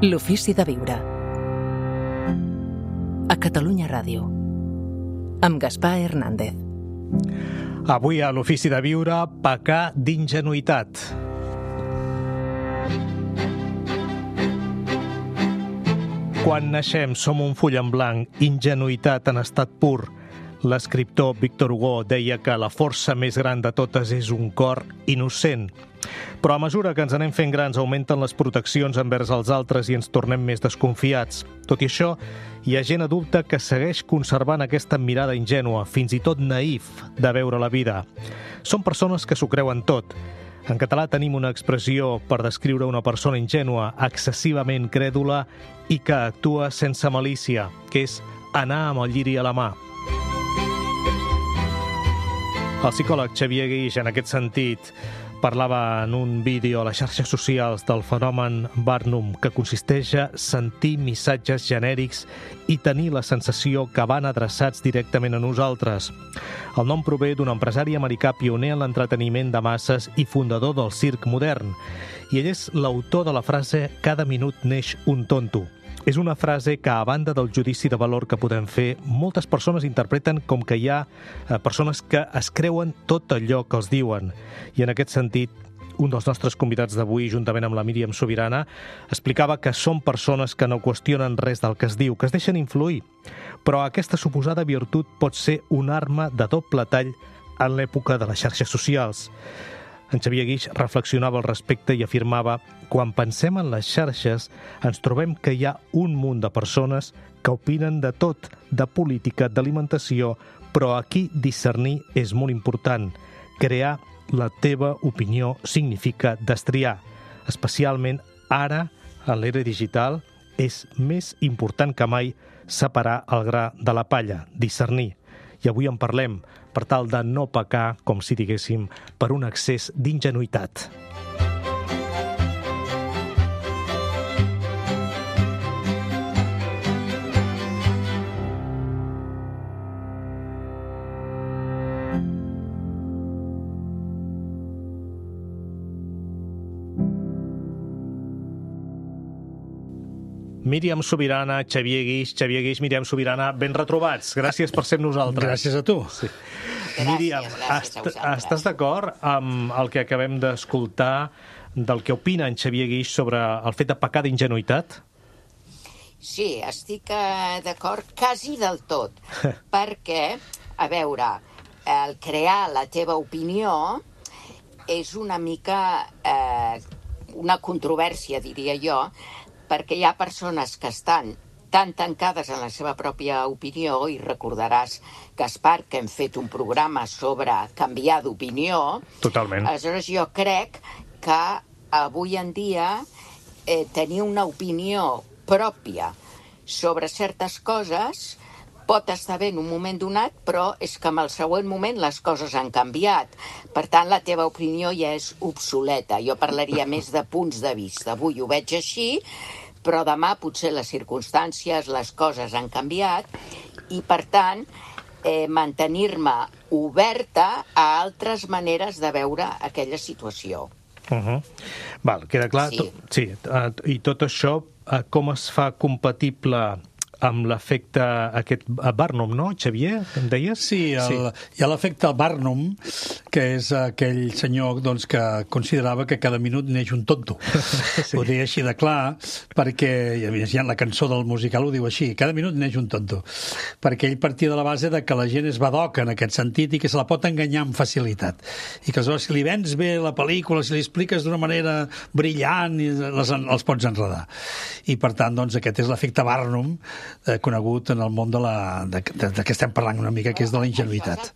L'ofici de viure. A Catalunya Ràdio. Amb Gaspar Hernández. Avui a l'ofici de viure, pecar d'ingenuïtat. Quan naixem som un full en blanc, ingenuïtat en estat pur. L'escriptor Victor Hugo deia que la força més gran de totes és un cor innocent. Però a mesura que ens anem fent grans augmenten les proteccions envers els altres i ens tornem més desconfiats. Tot i això, hi ha gent adulta que segueix conservant aquesta mirada ingènua, fins i tot naïf, de veure la vida. Són persones que s'ho creuen tot. En català tenim una expressió per descriure una persona ingènua, excessivament crèdula i que actua sense malícia, que és anar amb el lliri a la mà. El psicòleg Xavier Guix, en aquest sentit, parlava en un vídeo a les xarxes socials del fenomen Barnum, que consisteix a sentir missatges genèrics i tenir la sensació que van adreçats directament a nosaltres. El nom prové d'un empresari americà pioner en l'entreteniment de masses i fundador del circ modern, i ell és l'autor de la frase «Cada minut neix un tonto». És una frase que, a banda del judici de valor que podem fer, moltes persones interpreten com que hi ha persones que es creuen tot allò que els diuen. I en aquest sentit, un dels nostres convidats d'avui, juntament amb la Míriam Subirana, explicava que són persones que no qüestionen res del que es diu, que es deixen influir. Però aquesta suposada virtut pot ser una arma de doble tall en l'època de les xarxes socials. En Xavier Guix reflexionava al respecte i afirmava: quan pensem en les xarxes, ens trobem que hi ha un munt de persones que opinen de tot, de política, d'alimentació, però aquí discernir és molt important. Crear la teva opinió significa destriar. Especialment ara, en l'era digital, és més important que mai separar el gra de la palla, discernir. I avui en parlem per tal de no pecar, com si diguéssim, per un excés d'ingenuïtat. Míriam Subirana, Xavier Guix, Míriam Subirana, ben retrobats. Gràcies per ser amb nosaltres. Gràcies a tu. Sí. Míriam, estàs d'acord amb el que acabem d'escoltar del que opina en Xavier Guix sobre el fet de pecar d'ingenuïtat? Sí, estic d'acord quasi del tot, perquè, a veure, el crear la teva opinió és una mica una controvèrsia, diria jo, perquè hi ha persones que estan tan tancades en la seva pròpia opinió, i recordaràs, Gaspar, que hem fet un programa sobre canviar d'opinió. Totalment. Aleshores, jo crec que avui en dia tenir una opinió pròpia sobre certes coses pot estar bé en un moment donat, però és que en el següent moment les coses han canviat. Per tant, la teva opinió ja és obsoleta. Jo parlaria més de punts de vista. Avui ho veig així, però demà potser les circumstàncies, les coses han canviat, i per tant, mantenir-me oberta a altres maneres de veure aquella situació. Val, queda clar. Sí. I tot això, com es fa compatible amb l'efecte aquest Barnum, no, Xavier, em deies? Sí, hi ha l'efecte Barnum, que és aquell senyor doncs, que considerava que cada minut neix un tonto. Sí. Ho deia així de clar, perquè la cançó del musical ho diu així, cada minut neix un tonto, perquè ell partia de la base de que la gent és badoca en aquest sentit i que se la pot enganyar amb facilitat. I que aleshores, si li vens bé la pel·lícula, si li expliques d'una manera brillant, els pots enredar. I per tant, doncs, aquest és l'efecte Barnum, conegut en el món de què estem parlant una mica, que és de la ingenuïtat.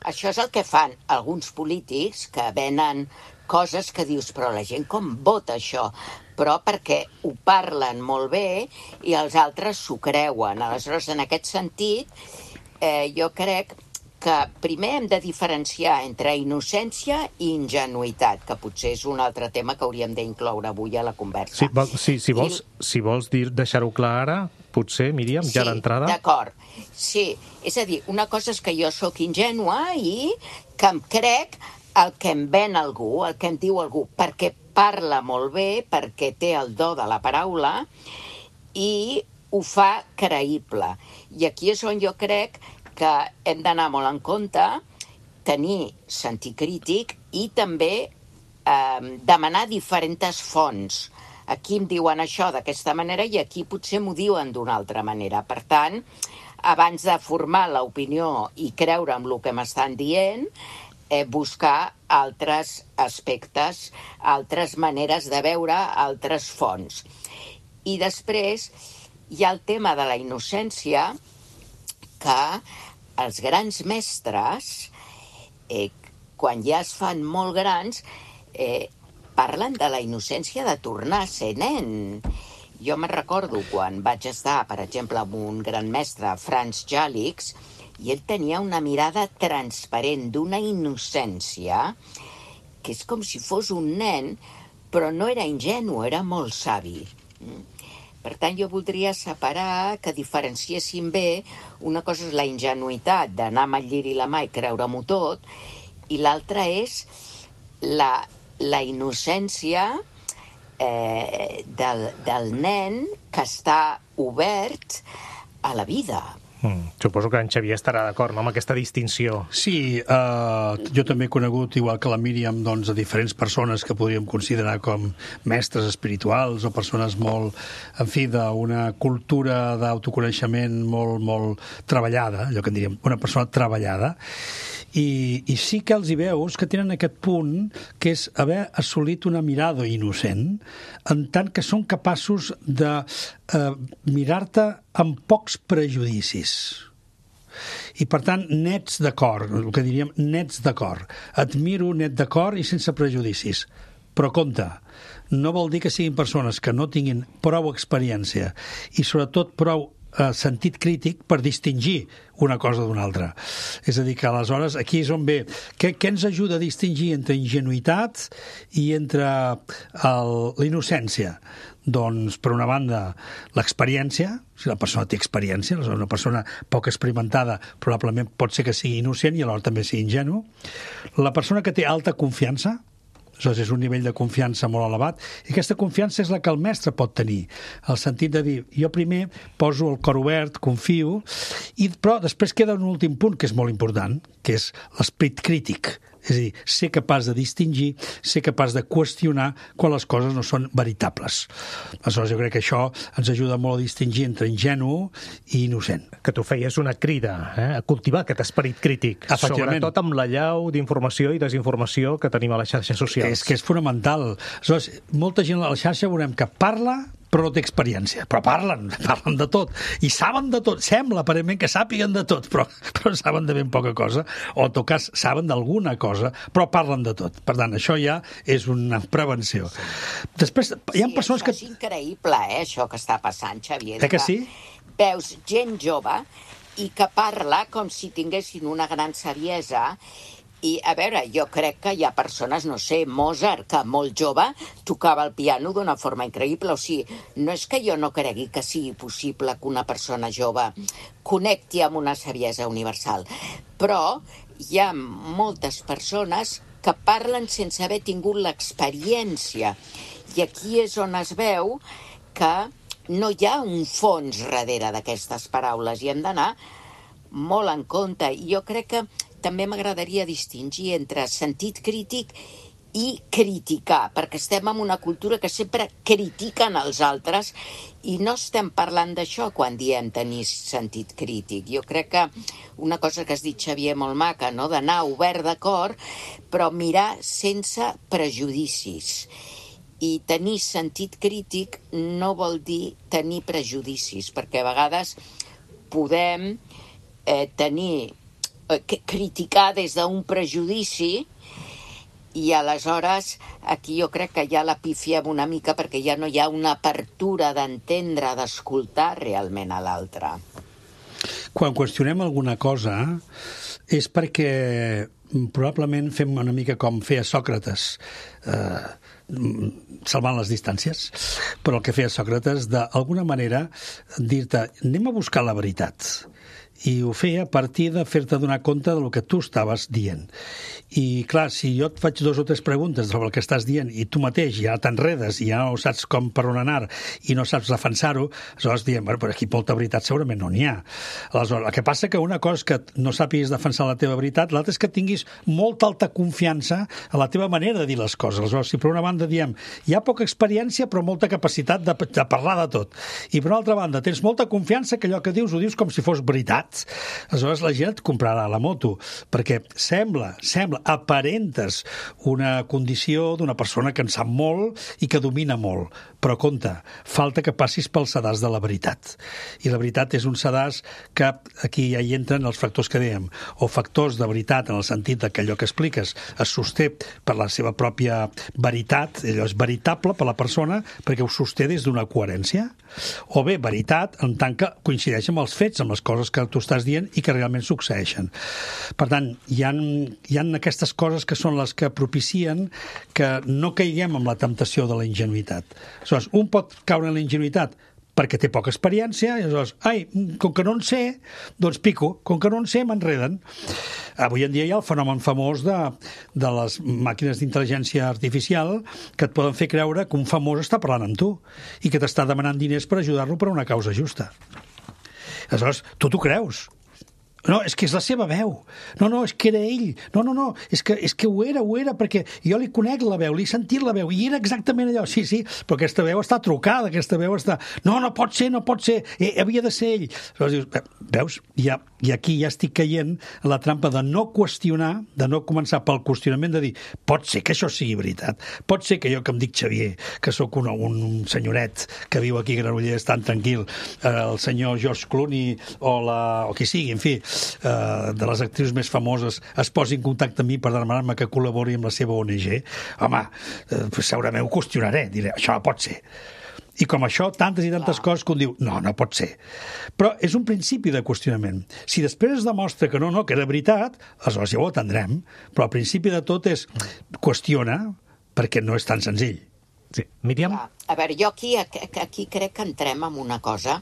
Això és el que fan alguns polítics que venen coses que dius, però la gent com vota això? Però perquè ho parlen molt bé i els altres s'ho creuen. Aleshores, en aquest sentit, jo crec que primer hem de diferenciar entre innocència i ingenuïtat, que potser és un altre tema que hauríem d'incloure avui a la conversa. Si vols deixar-ho clar ara, potser, Míriam, ja d'entrada. Sí, d'acord. Sí, és a dir, una cosa és que jo sóc ingènua i que em crec el que em ven algú, el que em diu algú, perquè parla molt bé perquè té el do de la paraula i ho fa creïble. I aquí és on jo crec que hem d'anar molt en compte, tenir sentit crític i també demanar diferents fonts. Aquí em diuen això d'aquesta manera i aquí potser m'ho diuen d'una altra manera. Per tant, abans de formar l'opinió i creure en el que m'estan dient, buscar altres aspectes, altres maneres de veure, altres fonts. I després hi ha el tema de la innocència, que els grans mestres, quan ja es fan molt grans, parlen de la innocència de tornar a ser nen. Jo me'n recordo quan vaig estar, per exemple, amb un gran mestre, Franz Jalix, i ell tenia una mirada transparent, d'una innocència, que és com si fos un nen, però no era ingenu, era molt savi. Per tant, jo voldria separar, que diferenciéssim bé, una cosa és la ingenuïtat d'anar amb el lliri la mà i creure-m'ho tot, i l'altra és la innocència del nen que està obert a la vida. Suposo que en Xavier estarà d'acord, no?, amb aquesta distinció. Sí, jo també he conegut, igual que la Míriam, doncs, a diferents persones que podríem considerar com mestres espirituals o persones molt, en fi, d'una cultura d'autoconeixement molt treballada, allò que en diríem, una persona treballada, i sí que els hi veus que tenen aquest punt que és haver assolit una mirada innocent, en tant que són capaços de mirar-te amb pocs prejudicis. I, per tant, nets d'acord, el que diríem nets d'acord. Et miro net d'acord i sense prejudicis. Però compte, no vol dir que siguin persones que no tinguin prou experiència i, sobretot, prou sentit crític per distingir una cosa d'una altra. És a dir, que aleshores aquí és on ve. Què ens ajuda a distingir entre ingenuïtat i entre la innocència? Doncs, per una banda, l'experiència. Si la persona té experiència, una persona poc experimentada probablement pot ser que sigui innocent i alhora també sigui ingenu. La persona que té alta confiança, és un nivell de confiança molt elevat, i aquesta confiança és la que el mestre pot tenir, el sentit de dir, jo primer poso el cor obert, confio, però després queda un últim punt que és molt important, que és l'esperit crític. És a dir, ser capaç de distingir, ser capaç de qüestionar quan les coses no són veritables. Aleshores, jo crec que això ens ajuda molt a distingir entre ingenu i innocent. Que tu feies una crida a cultivar aquest esperit crític, sobretot amb l'allau d'informació i desinformació que tenim a les xarxes socials. És que és fonamental. Aleshores, molta gent a la xarxa veurem que parla però no té experiència. Però parlen de tot. I saben de tot. Sembla, aparentment, que sàpiguen de tot, però saben de ben poca cosa. O, en tot cas, saben d'alguna cosa, però parlen de tot. Per tant, això ja és una prevenció. Després, hi ha persones que... Sí, és increïble, això que està passant, Xavier. Que sí? Veus gent jove i que parla com si tinguessin una gran saviesa. I, a veure, jo crec que hi ha persones, no sé, Mozart, que molt jove tocava el piano d'una forma increïble. O sigui, no és que jo no cregui que sigui possible que una persona jove connecti amb una saviesa universal, però hi ha moltes persones que parlen sense haver tingut l'experiència. I aquí és on es veu que no hi ha un fons darrere d'aquestes paraules i hem d'anar molt en compte. I jo crec que també m'agradaria distingir entre sentit crític i criticar, perquè estem en una cultura que sempre critiquen els altres i no estem parlant d'això quan diem tenir sentit crític. Jo crec que una cosa que has dit, Xavier, molt maca, no? D'anar obert de cor, però mirar sense prejudicis. I tenir sentit crític no vol dir tenir prejudicis, perquè a vegades podem criticar des d'un prejudici i aleshores aquí jo crec que ja la pifiem una mica perquè ja no hi ha una apertura d'entendre, d'escoltar realment a l'altre. Quan qüestionem alguna cosa és perquè probablement fem una mica com feia Sòcrates, salvant les distàncies, però el que feia Sòcrates d'alguna manera dir-te anem a buscar la veritat. i ho feia a partir de fer-te donar compte del que tu estaves dient. I, clar, si jo et faig 2 o 3 preguntes sobre el que estàs dient i tu mateix ja t'enredes i ja no saps com per on anar i no saps defensar-ho, aleshores diem, bueno, però aquí molta veritat segurament no n'hi ha. Aleshores, el que passa que una cosa és que no sàpiguis defensar la teva veritat, l'altra és que tinguis molta alta confiança a la teva manera de dir les coses. Aleshores, si per una banda diem, hi ha poca experiència però molta capacitat de parlar de tot, i per una altra banda tens molta confiança que allò que dius ho dius com si fos veritat, aleshores la gent et comprarà la moto, perquè sembla, aparentes una condició d'una persona que en sap molt i que domina molt, però compte, falta que passis pel sedàs de la veritat. I la veritat és un sedàs que aquí ja hi entren els factors que dèiem, o factors de veritat en el sentit que allò que expliques es sosté per la seva pròpia veritat, allò és veritable per la persona perquè ho sosté des d'una coherència, o bé veritat en tant que coincideix amb els fets, amb les coses que tu estàs dient i que realment succeeixen. Per tant, hi ha aquestes coses que són les que propicien que no caiguem en la temptació de la ingenuïtat. Aleshores, un pot caure en la ingenuïtat perquè té poca experiència, i aleshores, com que no en sé, doncs pico, com que no en sé, m'enreden. Avui en dia hi ha el fenomen famós de les màquines d'intel·ligència artificial que et poden fer creure que un famós està parlant amb tu i que t'està demanant diners per ajudar-lo per una causa justa. Aleshores, tu t'ho creus. No, és que és la seva veu. No, és que era ell. No, és que ho era, perquè jo li conec la veu, li he sentit la veu, i era exactament allò. Sí, però aquesta veu està trucada, aquesta veu està... No pot ser, havia de ser ell. Aleshores dius, veus? I aquí ja estic caient en la trampa de no qüestionar, de no començar pel qüestionament de dir, pot ser que això sigui veritat, pot ser que jo que em dic Xavier, que sóc un senyoret que viu aquí a Granollers tan tranquil, el senyor George Clooney o qui sigui, en fi, de les actrius més famoses es posi en contacte amb mi per demanar-me que col·labori amb la seva ONG, home, segurament ho qüestionaré, diré, això no pot ser. I com això, tantes i tantes coses que un diu, no pot ser. Però és un principi de qüestionament. Si després es demostra que no, que era veritat, aleshores ja ho atendrem, però el principi de tot és qüestiona, perquè no és tan senzill. Sí. Míriam? A veure, jo aquí crec que entrem en una cosa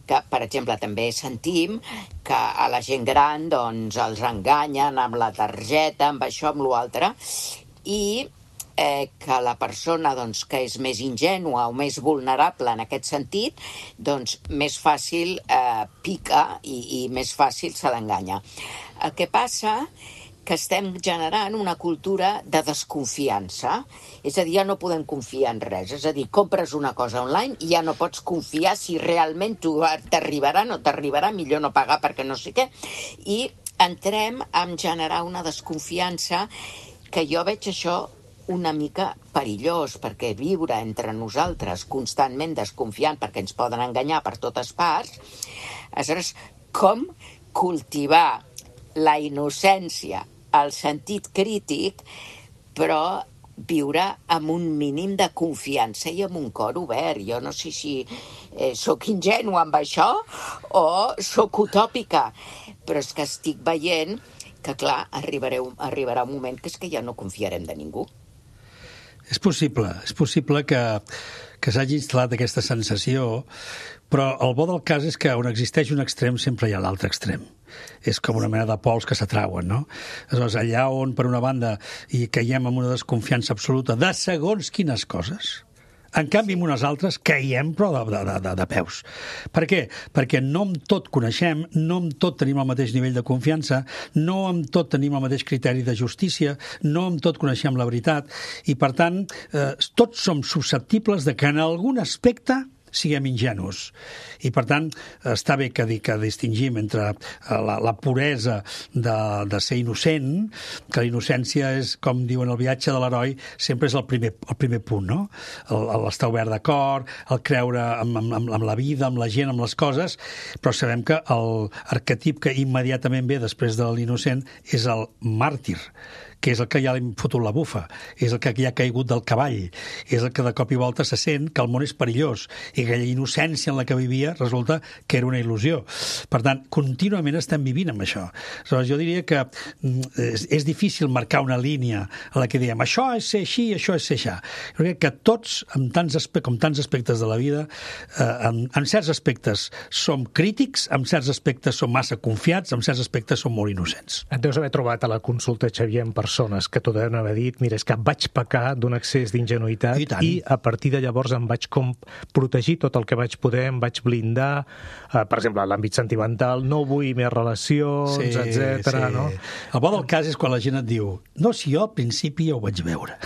que, per exemple, també sentim que a la gent gran doncs els enganyen amb la targeta, amb això, amb l'altre, i que la persona doncs, que és més ingènua o més vulnerable en aquest sentit, doncs més fàcil pica i més fàcil se l'enganya. El que passa que estem generant una cultura de desconfiança, és a dir, ja no podem confiar en res, és a dir, compres una cosa online i ja no pots confiar si realment t'arribarà, no t'arribarà, millor no pagar perquè no sé què, i entrem a generar una desconfiança que jo veig això una mica perillós, perquè viure entre nosaltres constantment desconfiant perquè ens poden enganyar per totes parts, aleshores, com cultivar la innocència, el sentit crític, però viure amb un mínim de confiança i amb un cor obert. Jo no sé si sóc ingènua amb això o sóc utòpica, però és que estic veient que, clar, arribarà un moment que és que ja no confiarem de ningú. És possible que s'hagi instal·lat aquesta sensació, però el bo del cas és que on existeix un extrem sempre hi ha l'altre extrem. És com una mena de pols que s'atrauen, no? Aleshores, allà on, per una banda, hi caiem amb una desconfiança absoluta de segons quines coses, en canvi, amb unes altres caiem, però de peus. Per què? Perquè no amb tot coneixem, no amb tot tenim el mateix nivell de confiança, no amb tot tenim el mateix criteri de justícia, no amb tot coneixem la veritat, i, per tant, tots som susceptibles de que en algun aspecte siguem ingenus. I, per tant, està bé que distingim entre la puresa de ser innocent, que la innocència és, com diuen, el viatge de l'heroi, sempre és el primer punt, no? L'estar obert de cor, el creure amb la vida, amb la gent, amb les coses, però sabem que l'arquetip que immediatament ve després de l'innocent és el màrtir, que és el que ja li hem fotut la bufa, és el que ja ha caigut del cavall, és el que de cop i volta se sent que el món és perillós i que aquella innocència en la que vivia resulta que era una il·lusió. Per tant, contínuament estem vivint amb això. Aleshores, jo diria que és difícil marcar una línia en la que diem això és ser així, això és ser això. Jo crec que tots, com tants aspectes de la vida, en certs aspectes som crítics, en certs aspectes som massa confiats, en certs aspectes som molt innocents. Et deus haver trobat a la consulta, Xavier, amb persones que t'ho deuen haver dit, mira, és que vaig pecar d'un excés d'ingenuïtat i a partir de llavors em vaig com protegir tot el que vaig poder, em vaig blindar, per exemple, l'àmbit sentimental, no vull més relacions, etc. No? El bo del cas és quan la gent et diu no, si jo al principi ja ho vaig veure.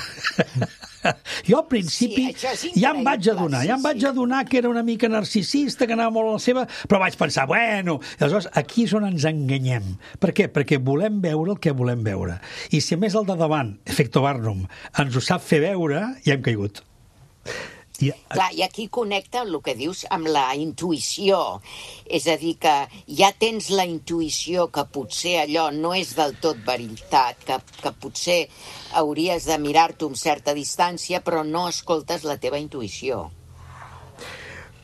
Jo al principi ja em vaig adonar que era una mica narcisista, que anava molt a la seva, però vaig pensar, bueno, aleshores aquí és on ens enganyem. Per què? Perquè volem veure el que volem veure. I si a més el de davant, efecte Barnum, ens ho sap fer veure, ja hem caigut. Clar, i aquí connecta el que dius amb la intuïció. És a dir, que ja tens la intuïció que potser allò no és del tot veritat, que potser hauries de mirar-t'ho amb certa distància, però no escoltes la teva intuïció.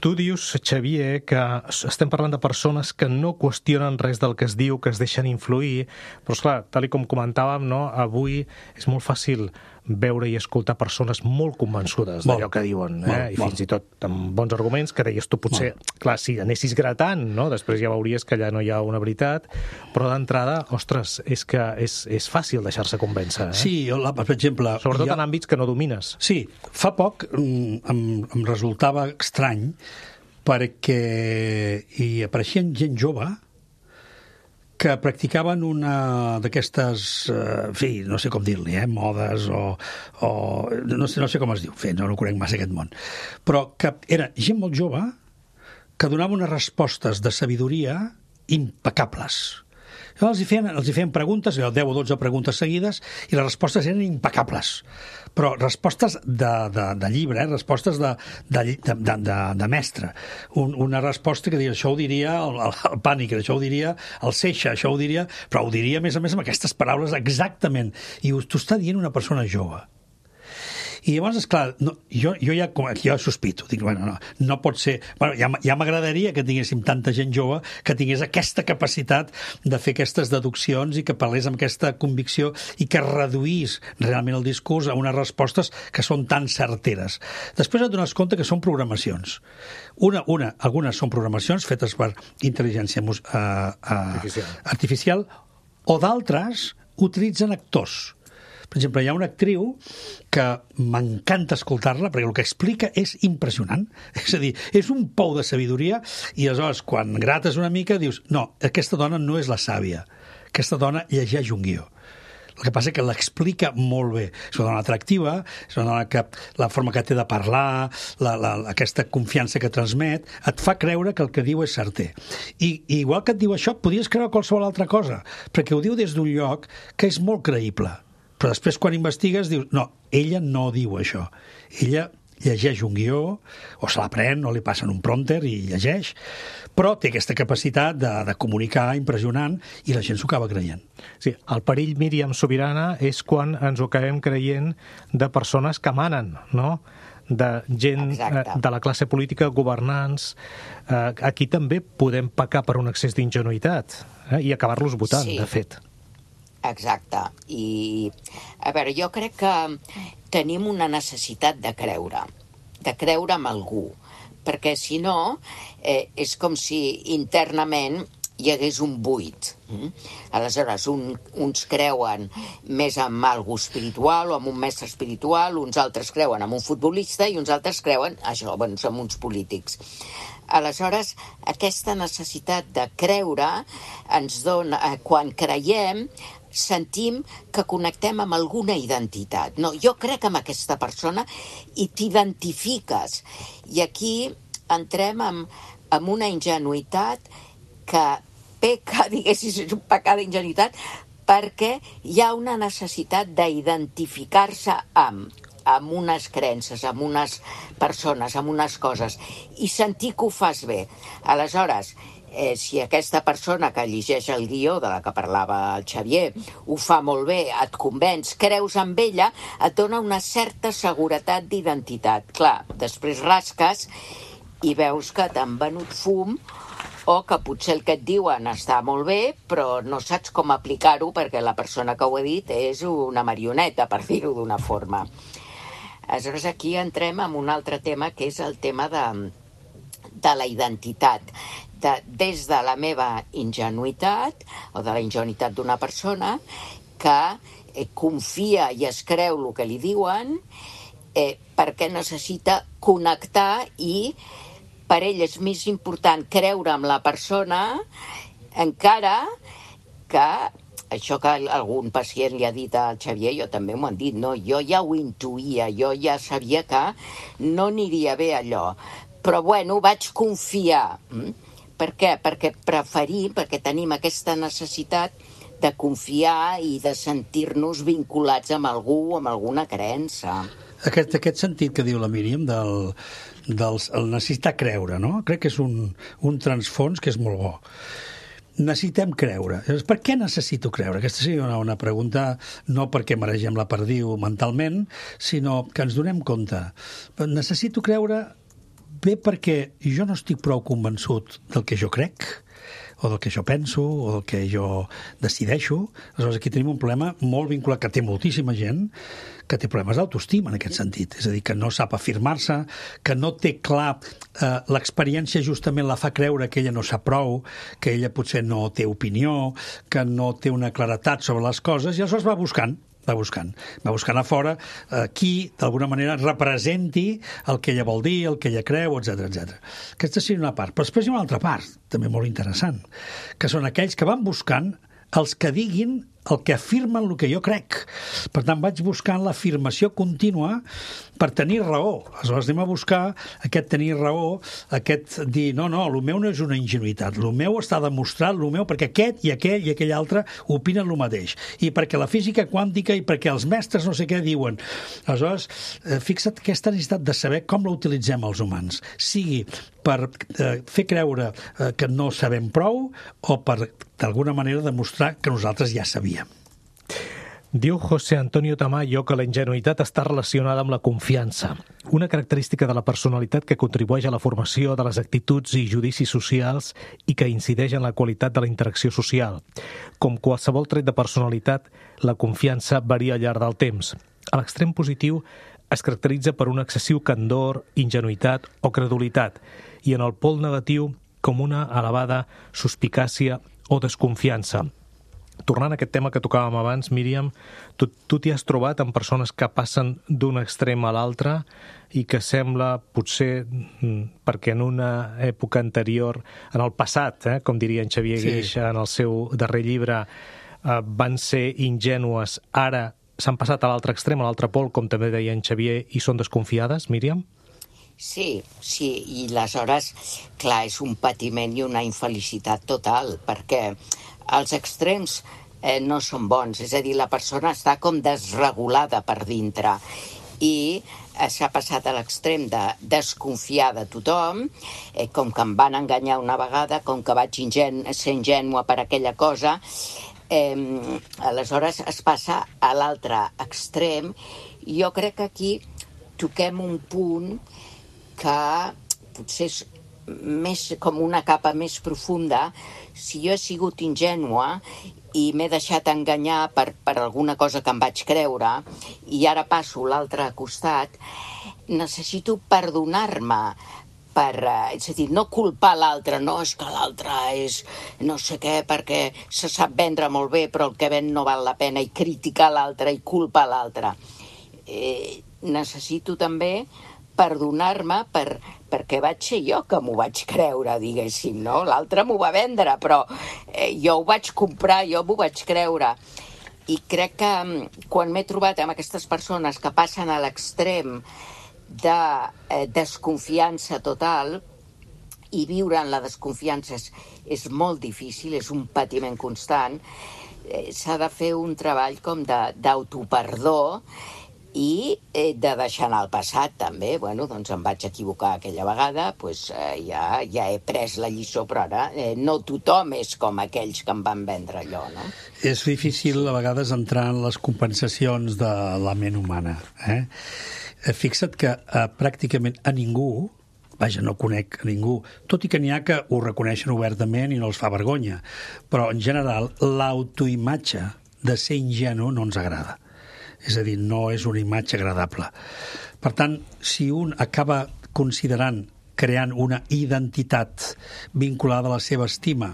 Tu dius, Xavier, que estem parlant de persones que no qüestionen res del que es diu, que es deixen influir, però esclar, tal com comentàvem, no, avui és molt fàcil veure i escoltar persones molt convençudes d'allò que diuen, i fins i tot amb bons arguments, que deies tu potser, clar, si anessis gratant, no? Després ja veuries que allà no hi ha una veritat, però d'entrada, ostres, és que és fàcil deixar-se convèncer. Sí, per exemple... Sobretot en àmbits que no domines. Sí, fa poc em resultava estrany perquè hi apareixien gent jove que practicaven una d'aquestes, en fi, no sé com dir-li, modes o no sé com es diu, no conec massa aquest món, però que era gent molt jove que donava unes respostes de sabidoria impecables. Els hi feien preguntes, 10 o 12 preguntes seguides, i les respostes eren impecables. Però respostes de llibre, respostes de mestre. Una resposta que diria, això ho diria el Pànic, això ho diria el Seixa, això ho diria... Però ho diria, a més amb aquestes paraules exactament. I t'ho està dient una persona jove. I llavors, esclar, jo ja sospito, dic, bueno, no pot ser... Bueno, ja m'agradaria que tinguéssim tanta gent jove que tingués aquesta capacitat de fer aquestes deduccions i que parlés amb aquesta convicció i que reduís realment el discurs a unes respostes que són tan certeres. Després et dones compte que són programacions. Algunes són programacions fetes per intel·ligència artificial o d'altres utilitzen actors. Per exemple, hi ha una actriu que m'encanta escoltar-la perquè el que explica és impressionant. És a dir, és un pou de sabidoria i aleshores, quan grates una mica, dius no, aquesta dona no és la sàvia. Aquesta dona llegeix un guió. El que passa és que l'explica molt bé. És una dona atractiva, és una dona que la forma que té de parlar, aquesta confiança que transmet, et fa creure que el que diu és certer. I igual que et diu això, podries creure qualsevol altra cosa, perquè ho diu des d'un lloc que és molt creïble. Però després, quan investigues, dius, no, ella no diu això. Ella llegeix un guió, o se l'aprèn, o li passen un prompter i llegeix, però té aquesta capacitat de comunicar impressionant i la gent s'ho acaba creient. Sí, el perill, Míriam Sobirana, és quan ens ho acabem creient de persones que manen, no?, de gent de la classe política, governants. Aquí també podem pecar per un excés d'ingenuïtat i acabar-los votant, de fet. Exacte. I, a veure, jo crec que tenim una necessitat de creure en algú, perquè si no, és com si internament hi hagués un buit. Aleshores, uns creuen més en algú espiritual o en un mestre espiritual, uns altres creuen en un futbolista i uns altres creuen, això, bueno, en uns polítics. Aleshores, aquesta necessitat de creure ens dona, quan creiem, sentim que connectem amb alguna identitat. No, jo crec en aquesta persona i t'identifiques. I aquí entrem en una ingenuïtat que peca, diguéssim, és un pecat d'ingenuïtat, perquè hi ha una necessitat d'identificar-se amb amb unes creences, amb unes persones, amb unes coses, i sentir que ho fas bé. Aleshores, si aquesta persona que llegeix el guió de la que parlava el Xavier ho fa molt bé, et convenç, creus en ella, et dona una certa seguretat d'identitat. Clar, després rasques i veus que t'han venut fum o que potser el que et diuen està molt bé, però no saps com aplicar-ho perquè la persona que ho ha dit és una marioneta, per dir-ho d'una forma. Aleshores, aquí entrem en un altre tema, que és el tema de la identitat. Des de la meva ingenuïtat, o de la ingenuïtat d'una persona, que confia i es creu el que li diuen, perquè necessita connectar i per ell és més important creure en la persona encara que això que algun pacient li ha dit al Xavier, jo també m'ho han dit, no? Jo ja ho intuïa, jo ja sabia que no aniria bé allò, però bueno, vaig confiar. Per què? Perquè tenim aquesta necessitat de confiar i de sentir-nos vinculats amb algú, amb alguna creença. Aquest sentit que diu la Míriam del necessitar creure, no? Crec que és un transfons que és molt bo. Necessitem creure. Per què necessito creure? Aquesta seria una pregunta, no perquè maregem la perdiu mentalment, sinó que ens donem compte. Necessito creure bé perquè jo no estic prou convençut del que jo crec, o del que jo penso, o del que jo decideixo. Aleshores, aquí tenim un problema molt vinculat, que té moltíssima gent, que té problemes d'autoestima en aquest sentit. És a dir, que no sap afirmar-se, que no té clar, l'experiència justament la fa creure que ella no sap prou, que ella potser no té opinió, que no té una claretat sobre les coses, i aleshores va buscant a fora qui, d'alguna manera, representi el que ella vol dir, el que ella creu, etc. Aquesta seria una part. Però després hi ha una altra part, també molt interessant, que són aquells que van buscant els que diguin el que afirmen el que jo crec. Per tant, vaig buscant l'afirmació contínua per tenir raó. Aleshores, anem a buscar aquest tenir raó, aquest dir, no, el meu no és una ingenuïtat, el meu està demostrat, el meu, perquè aquest i aquell altre opinen el mateix. I perquè la física quàntica i perquè els mestres no sé què diuen. Aleshores, fixa't aquesta necessitat de saber com la utilitzem els humans. Sigui per fer creure que no sabem prou o per, d'alguna manera, demostrar que nosaltres ja sabíem. Diu José Antonio Tamayo que la ingenuïtat està relacionada amb la confiança, una característica de la personalitat que contribueix a la formació de les actituds i judicis socials i que incideix en la qualitat de la interacció social. Com qualsevol tret de personalitat, la confiança varia al llarg del temps. A l'extrem positiu es caracteritza per un excessiu candor, ingenuïtat o credulitat, i en el pol negatiu com una elevada suspicàcia o desconfiança. Tornant a aquest tema que tocàvem abans, Míriam, tu t'hi has trobat amb persones que passen d'un extrem a l'altre i que sembla, potser, perquè en una època anterior, en el passat, com diria en Xavier Guix en el seu darrer llibre, van ser ingènues, ara s'han passat a l'altre extrem, a l'altre pol, com també deia en Xavier, i són desconfiades, Míriam? Sí, i aleshores, clar, és un patiment i una infelicitat total, perquè els extrems no són bons, és a dir, la persona està com desregulada per dintre i s'ha passat a l'extrem de desconfiar de tothom, com que em van enganyar una vegada, com que vaig ser ingènua per aquella cosa, aleshores es passa a l'altre extrem. Jo crec que aquí toquem un punt que potser és més com una capa més profunda. Si jo he sigut ingènua i m'he deixat enganyar per alguna cosa que em vaig creure i ara passo a l'altre costat, necessito perdonar-me, és a dir, no culpar l'altre, no és que l'altre és no sé què perquè se sap vendre molt bé però el que ven no val la pena, i criticar l'altre i culpar l'altre. Necessito també perdonar-me perquè vaig ser jo que m'ho vaig creure, diguéssim, no? L'altre m'ho va vendre, però jo ho vaig comprar, jo m'ho vaig creure. I crec que quan m'he trobat amb aquestes persones que passen a l'extrem de desconfiança total, i viure en la desconfiança és molt difícil, és un patiment constant, s'ha de fer un treball com d'autoperdó i de deixar anar el passat, també. Bueno, doncs em vaig equivocar aquella vegada, doncs ja he pres la lliçó, però ara no tothom és com aquells que em van vendre allò, no? És difícil a vegades entrar en les compensacions de la ment humana. Fixa't que pràcticament a ningú, vaja, no conec a ningú, tot i que n'hi ha que ho reconeixen obertament i no els fa vergonya, però en general l'autoimatge de ser ingenu no ens agrada. És a dir, no és una imatge agradable. Per tant, si un acaba considerant, creant una identitat vinculada a la seva estima,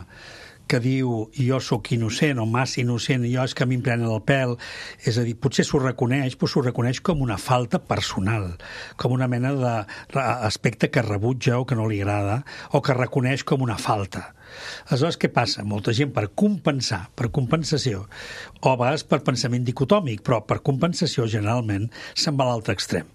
que diu jo sóc innocent o massa innocent, jo és que a mi em prenen el pèl, és a dir, potser s'ho reconeix, però s'ho reconeix com una falta personal, com una mena d'aspecte que rebutja o que no li agrada, o que reconeix com una falta. Aleshores, què passa? Molta gent per compensar, per compensació, o a vegades per pensament dicotòmic, però per compensació generalment se'n va a l'altre extrem.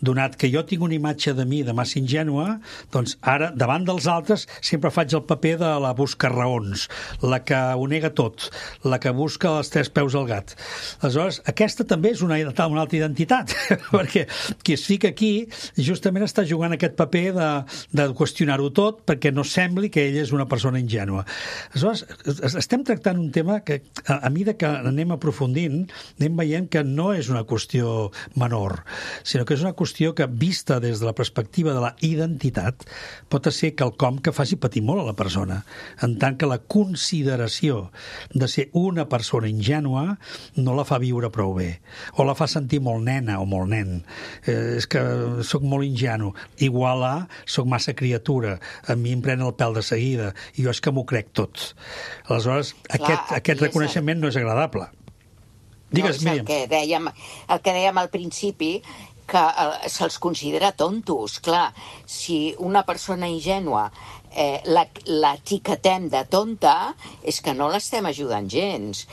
Donat que jo tinc una imatge de mi de massa ingènua, doncs ara, davant dels altres, sempre faig el paper de la busca raons, la que ho nega tot, la que busca els 3 peus al gat. Aleshores, aquesta també és una altra identitat, perquè qui es fica aquí justament està jugant aquest paper de qüestionar-ho tot perquè no sembli que ell és una persona ingènua. Aleshores, estem tractant un tema que, a mesura que anem aprofundint, anem veient que no és una qüestió menor, sinó que és una qüestió que, vista des de la perspectiva de la identitat, pot ser quelcom que faci patir molt a la persona, en tant que la consideració de ser una persona ingènua no la fa viure prou bé, o la fa sentir molt nena o molt nen. És que sóc molt ingenu, igual a sóc massa criatura, a mi em pren el pèl de seguida, i jo és que m'ho crec tot. Aleshores, aquest reconeixement no és agradable. Digues, Míriam. El que dèiem al principi, que se'ls considera tontos. Clar, si una persona ingènua l'etiquetem de tonta, és que no l'estem ajudant gens.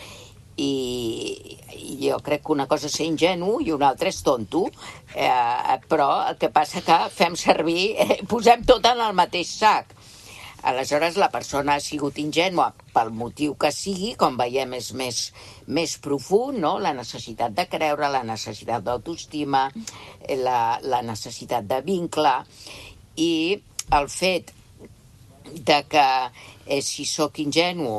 I jo crec que una cosa és ser ingenu i una altra és tonto, però el que passa que fem servir, posem tot en el mateix sac. Aleshores, la persona ha sigut ingènua pel motiu que sigui, com veiem és més profund, no? La necessitat de creure, la necessitat d'autoestima, la necessitat de vincle, i el fet de que si sóc ingenu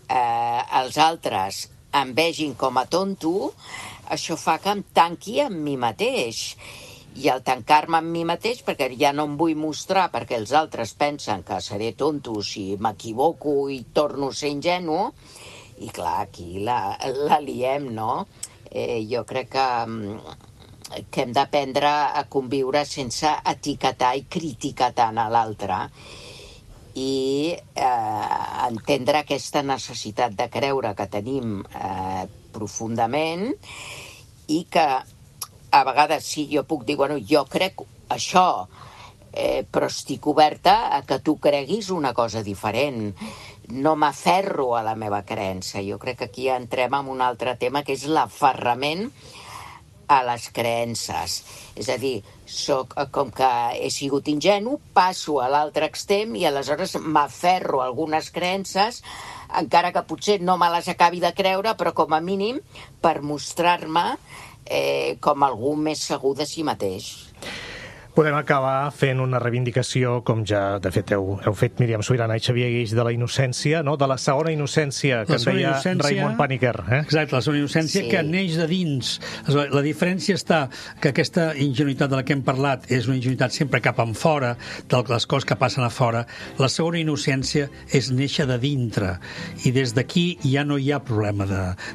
els altres em vegin com a tonto, això fa que em tanqui amb mi mateix. I al tancar-me amb mi mateix, perquè ja no em vull mostrar perquè els altres pensen que seré tonto si m'equivoco i torno a ser ingenu, i clar, aquí la liem, no? Jo crec que hem d'aprendre a conviure sense etiquetar i criticar tant a l'altre, i entendre aquesta necessitat de creure que tenim profundament, i que a vegades sí, jo puc dir, bueno, jo crec això, però estic oberta a que tu creguis una cosa diferent. No m'aferro a la meva creença. Jo crec que aquí entrem en un altre tema, que és l'aferrament a les creences. És a dir, com que he sigut ingenu, passo a l'altre extrem i aleshores m'aferro a algunes creences, encara que potser no me les acabi de creure, però com a mínim per mostrar-me com algú més segur de si mateix. Podem acabar fent una reivindicació, com ja, de fet, heu fet Míriam Subirana i Xavier Guix, de la innocència, no? De la segona innocència, que en deia Raymond Paniker. Exacte, la segona innocència que neix de dins. La diferència està que aquesta ingenuïtat de la que hem parlat és una ingenuïtat sempre cap en fora, de les coses que passen a fora. La segona innocència és néixer de dintre, i des d'aquí ja no hi ha problema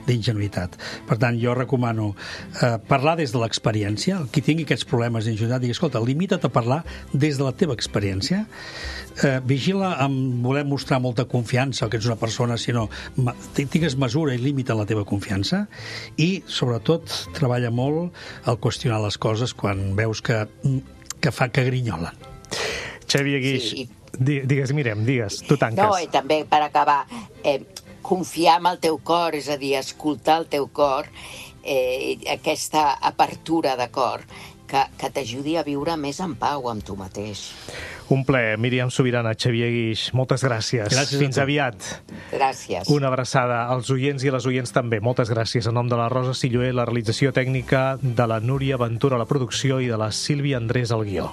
d'ingenuïtat. Per tant, jo recomano parlar des de l'experiència. Qui tingui aquests problemes d'ingenuïtat, digui, escolta, limita't a parlar des de la teva experiència, vigila amb voler mostrar molta confiança que ets una persona, sinó tingues mesura i límit en la teva confiança, i sobretot treballa molt al qüestionar les coses quan veus que grinyolen. Xavier Guix, digues, Míriam, digues, tu tanques. No, i també per acabar, confiar en el teu cor, és a dir, escoltar el teu cor, aquesta apertura de cor, que t'ajudi a viure més en pau amb tu mateix. Un plaer. Míriam Subirana, Xavier Guix, moltes gràcies. Gràcies a Fins tu. aviat. Gràcies. Una abraçada als oients i a les oients també. Moltes gràcies. En nom de la Rosa Silloé, la realització tècnica, de la Núria Ventura, la producció, i de la Sílvia Andrés, al guió.